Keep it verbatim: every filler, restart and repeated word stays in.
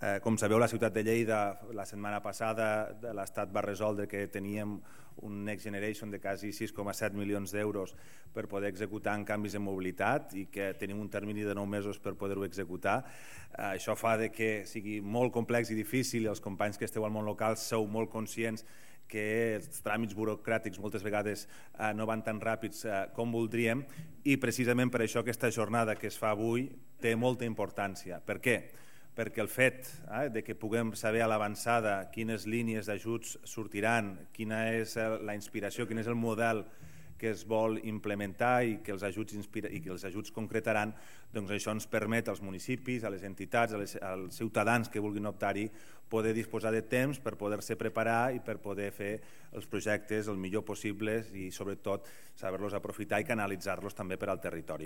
Com sabeu, la ciutat de Lleida la setmana passada l'Estat va resoldre que teníem un Next Generation de quasi sis coma set milions d'euros per poder executar en canvis de mobilitat i que tenim un termini de nou mesos per poder-ho executar. Això fa que sigui molt complex i difícil i els companys que esteu al món local sou molt conscients que els tràmits burocràtics moltes vegades no van tan ràpids com voldríem i precisament per això aquesta jornada que es fa avui té molta importància. Per què? Perquè el fet de que puguem saber a l'avançada quines línies d'ajuts sortiran, quina és la inspiració, quin és el model que es vol implementar i que els ajuts, i que els ajuts concretaran, doncs això ens permet als municipis, a les entitats, als ciutadans que vulguin optar-hi, poder disposar de temps per poder-se preparar i per poder fer els projectes el millor possible i sobretot saber-los aprofitar i canalitzar-los també per al territori.